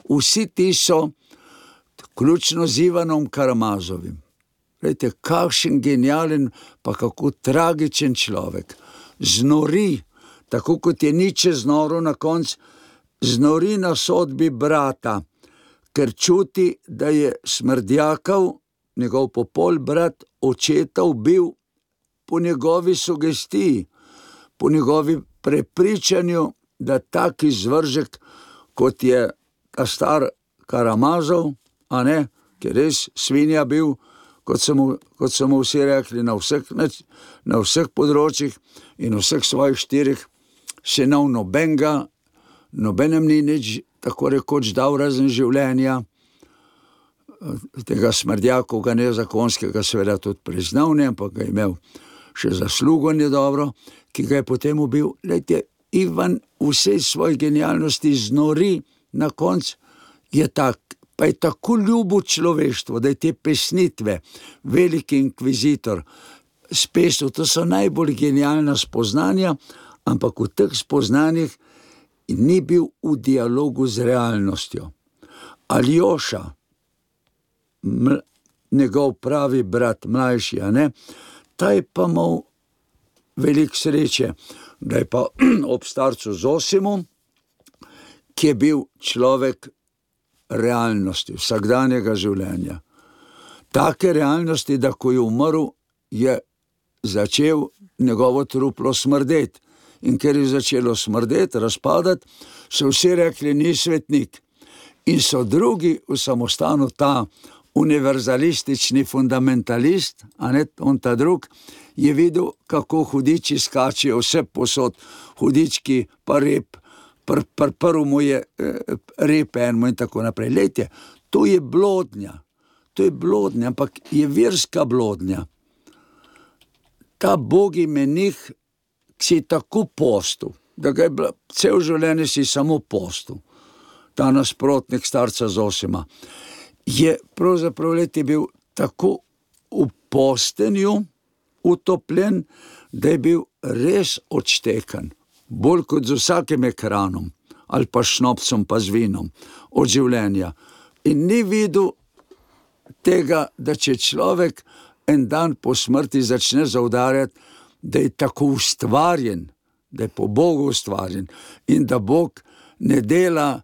Vsi ti so, vključno z Ivanom Karamazovim. Glejte, kakšen genijalen, pa kako tragičen človek. Znori, tako kot je Nietzsche znoril na koncu, znori na sodbi brata, ker čuti, da je smrdljakav njegov popol brat očetov bil po njegovi sugestiji, po njegovi prepričanju, da tak izvržek, kot je ta star Karamazov, a ne, ki je res svinja bil, kot so mu vsi rekli, na vseh področjih in vseh svojih 4 sinov nobenem ni nič tako rekoč dal razen življenja, tega smrdjakovega nezakonskega seveda tudi priznal, ne, ampak ga je imel še zaslugo nedobro, ki ga je potem ubil. Glejte, Ivan vsej svoji genialnosti znori na koncu, je tak, pa je tako ljubo človeštvo, da je te pesnitve, veliki inkvizitor, spisal, to so najbolj genialna spoznanja, ampak v teh spoznanjih ni bil v dialogu z realnostjo. Aljoša, njegov pravi brat, mlajši, a ne, ta je pa imel veliko sreče, da je pa ob starcu Zosimom, ki je bil človek realnosti, vsakdanjega življenja. Take realnosti, da ko je umrl, je začel njegovo truplo smrdeti. In ker je začelo smrdeti, razpadati, so vsi rekli, ni svetnik. In so drugi v samostanu, ta univerzalistični fundamentalist, a ne, on ta drug, je videl, kako hudiči skačijo vse posod, hudički pa rep, prvo mu je rep enmo in tako naprej. Lejte, to je blodnja, ampak je verska blodnja. Ta bogi menih si tako postil, da ga je cel življenje si samo postil, ta nasprotnik starca Zosima, je pravzaprav bil tako v postenju utopljen, da je bil res odštekan, bolj kot z vsakim ekranom, ali pa šnopcem, pa z vinom, od življenja. In ni videl tega, da če človek en dan po smrti začne zaudarjati, da je tako ustvarjen, da je po Bogu ustvarjen in da Bog ne dela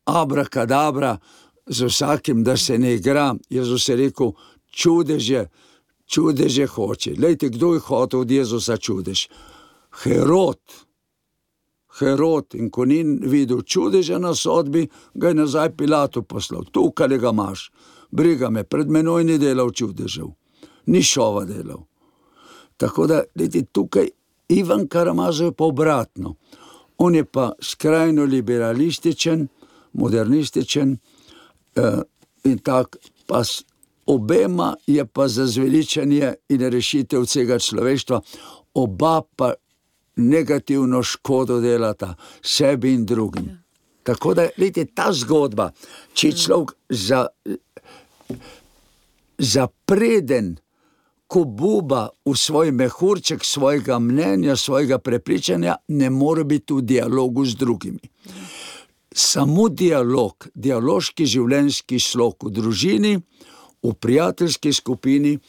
abrakadabra z vsakim, da se ne igra. Jezus je rekel, čudeže hoče. Lejte, kdo je hotel od Jezusa čudež? Herod, in ko ni videl čudeža na sodbi, ga je nazaj Pilatu poslal. Tukaj ga imaš, briga me, pred menoj ni delal čudežev, ni šova delal. Tako da, lejte, tukaj Ivan Karamazov je pa obratno. On je pa skrajno liberalističen, modernističen in tak, pa obema je pa za zveličanje in rešitev vsega človeštva, oba pa negativno škodo delata sebi in drugim. Tako da, lejte, ta zgodba, če človek zapreden, ko buba v svoj mehurček svojega mnenja, svojega prepričanja, ne more biti v dialogu z drugimi. Samo dialog, dialoški življenjski slog v družini, v prijateljski skupini,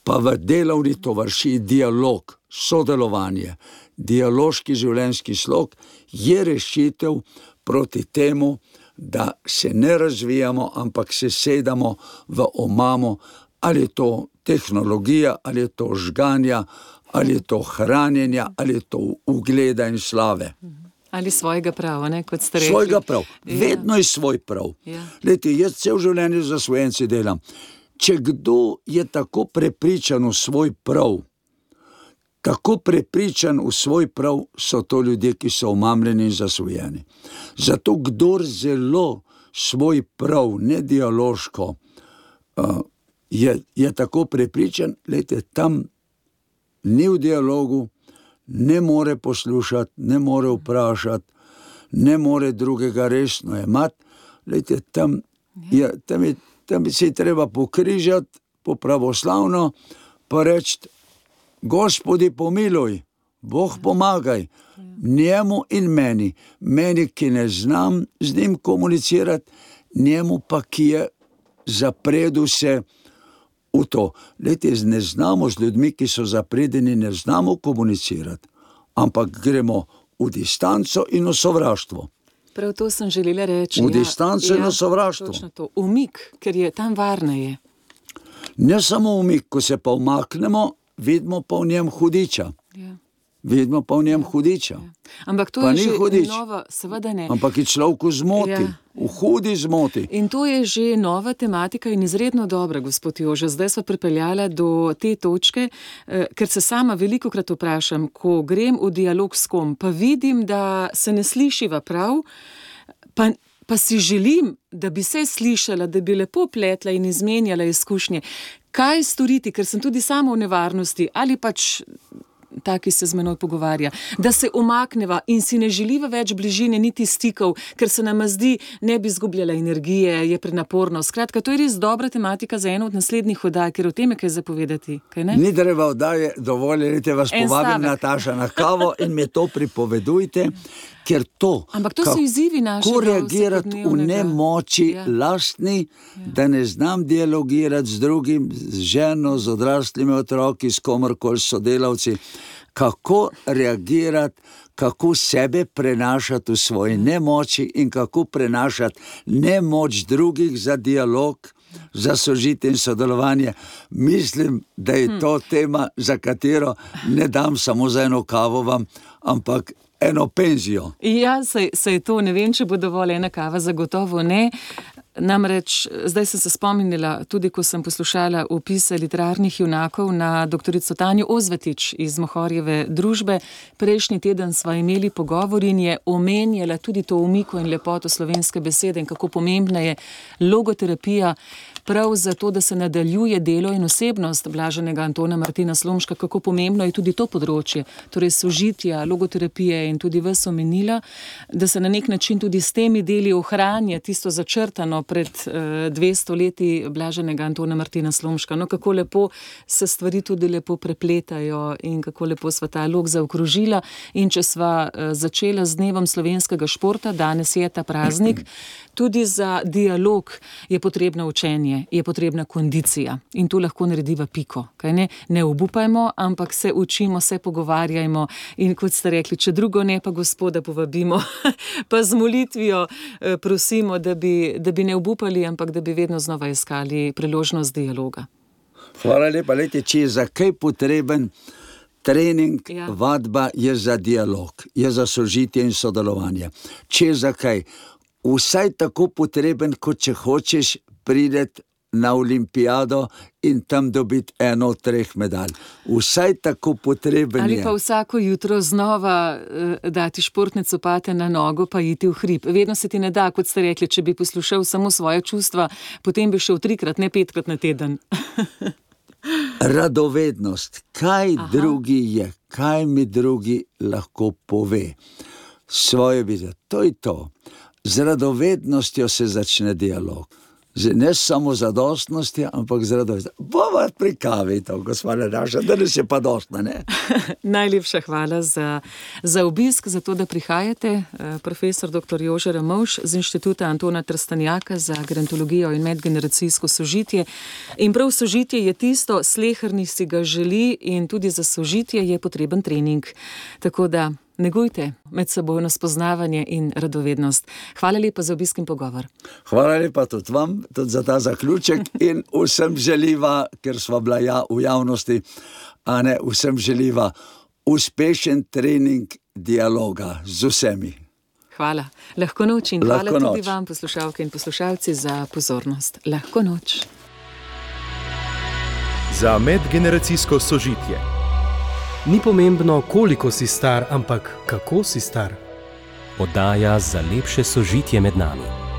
pa v delovni tovariši dialog, sodelovanje, dialoški življenjski slog je rešitev proti temu, da se ne razvijamo, ampak se sedamo v omamo, ali je to tehnologija, ali je to žganja, ali je to hranjenja, ali je to ugleda in slave. Ali svojega prava, ne, kot ste rekli. Svojega prav, vedno je svoj prav. Lejte, jaz cel življenje za Osvojenci delam. Če kdo je tako prepričan v svoj prav, so to ljudje, ki so omamljeni in zasvojeni. Zato kdor zelo svoj prav, ne dialoško, je tako prepričan, lejte, tam ni v dialogu, ne more poslušati, ne more vprašati, ne more drugega resno jemati. Lejte, tam si treba pokrižati po pravoslavno, pa reči, Gospodi pomiluj, Bog pomagaj, njemu in meni, ki ne znam z njim komunicirati, njemu pa, ki je zapredel se v to. Lejte, ne znamo z ljudmi, ki so zapredeni, ne znamo komunicirati, ampak gremo v distanco in v sovraštvo. Prav to sem želela reči. V distanco in v sovraštvo. Točno to, umik, ker je tam varneje. Ne samo umik, ko se pa umaknemo, vidimo pa v njem hudiča. Ja. Vidimo pa v njem hudiča. Ampak to Pa je ni že hudič. nova, seveda ne. Ampak je človeku zmoti, Ja. v hudi zmoti. In to je že nova tematika in izredno dobra, gospod Jože. Zdaj sva pripeljala do te točke, ker se sama velikokrat vprašam, ko grem v dialog s kom, pa vidim, da se ne slišiva prav, pa si želim, da bi se slišala, da bi lepo pletla in izmenjala izkušnje. Kaj storiti, ker sem tudi sama v nevarnosti ali pač taki se z menoj pogovarja, da se umakneva in si ne želiva več bližine niti stikov, ker se nama zdi, ne bi izgubljala energije, je prenaporno. Skratka, to je res dobra tematika za eno od naslednjih oddaj, ker o tem je kaj zapovedati, kaj ne? Ni treba oddaje, dovolite vas En povabim, stavek. Nataša, na kavo in mi to pripovedujte, ker to, Ampak to so izzivi našega kako reagirati v vsakodnevnega. nemoči Ja. lastni, da ne znam dialogirati z drugim, z ženo, z odraslimi otroki, s komorkoli, s sodelavci, kako reagirati, kako sebe prenašati v svoji nemoči in kako prenašati nemoč drugih za dialog, za sožitje in sodelovanje. Mislim, da je to tema, za katero ne dam samo za eno kavo vam, ampak eno penzijo. Ja, saj to, ne vem, če bo dovolj ena kava, zagotovo ne. Namreč, zdaj sem se spomnila, tudi ko sem poslušala opise literarnih junakov na doktorico Tanjo Ozvetič iz Mohorjeve družbe. Prejšnji teden sva imeli pogovor in je omenjala tudi to umiko in lepoto slovenske besede in kako pomembna je logoterapija prav zato, da se nadaljuje delo in osebnost blaženega Antona Martina Slomška, kako pomembno je tudi to področje, torej sožitja, logoterapije in tudi vas omenila, da se na nek način tudi s temi deli ohranja tisto začrtano pred 200 leti blaženega Antona Martina Slomška. No, kako lepo se stvari tudi lepo prepletajo in kako lepo sva ta lok zaokrožila. In če sva začela z dnevom slovenskega športa, danes je ta praznik, tudi za dialog je potrebno učenje, je potrebna kondicija in tu lahko narediva piko. Kaj ne? Ne obupajmo, ampak se učimo, se pogovarjajmo in kot ste rekli, če drugo ne, pa Gospoda povabimo, pa z molitvijo prosimo, da bi ne obupali, ampak da bi vedno znova iskali priložnost dialoga. Hvala lepa, lejte, če je za kaj potreben trening, Ja. vadba je za dialog, je za sožitje in sodelovanje. Če je za kaj, vsaj tako potreben, kot če hočeš priti na olimpijado in tam dobiti eno od 3 medalj. Vsaj tako potreben Ali je. pa vsako jutro znova dati športne copate na nogo pa iti v hrib. Vedno se ti ne da, kot ste rekli, če bi poslušal samo svoje čustva, potem bi šel 3-krat, ne 5-krat na teden. Radovednost, kaj drugi je, kaj mi drugi lahko pove. Svoje vidijo, to je to. Z radovednostjo se začne dialog. Ne samo zadostnosti, ampak z radovednostjo. Bova pri kavi to, gospoda naša, danes je pa dostna, ne? Najlepša hvala za obisk, za to, da prihajate. Profesor dr. Jože Ramovš z Inštituta Antona Trstenjaka za gerontologijo in medgeneracijsko sožitje. In prav sožitje je tisto, sleherni si ga želi in tudi za sožitje je potreben trening. Tako da negujte medsebojno spoznavanje in radovednost. Hvala lepa za obisk in pogovor. Hvala lepa tudi vam, tudi za ta zaključek in vsem želiva, ker sva bila v javnosti, a ne vsem želiva uspešen trening dialoga z vsemi. Hvala. Lahko noč in Lahko hvala tudi noč. vam, poslušalke in poslušalci, za pozornost. Lahko noč. Za medgeneracijsko sožitje. Ni pomembno, koliko si star, ampak kako si star. Oddaja za lepše sožitje med nami.